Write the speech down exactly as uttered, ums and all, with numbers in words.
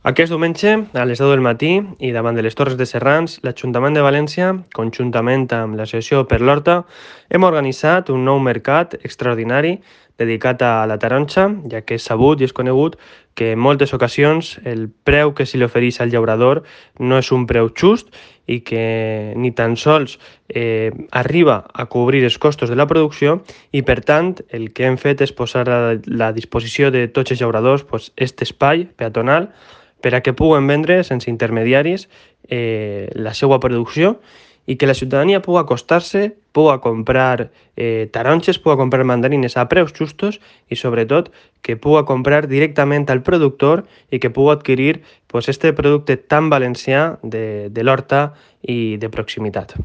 Aquest diumenge, a les deu del matí i davant de les Torres de Serrans, l'Ajuntament de València, conjuntament amb l'Associació per l'Horta, hem organitzat un nou mercat extraordinari dedicat a la taronja, ja que és sabut i és conegut que en moltes ocasions el preu que se li ofereix al llaurador no és un preu just i que ni tan sols eh, arriba a cobrir els costos de la producció i, per tant, el que hem fet és posar a la disposició de tots els llauradors pues, aquest espai peatonal per a que puguen vendre sense intermediaris eh, la seva producció i que la ciutadania pugui acostar-se, pugui comprar eh, taronges, pugui comprar mandarines a preus justos i, sobretot, que pugui comprar directament al productor i que pugui adquirir pues, este producte tan valencià de, de l'horta i de proximitat.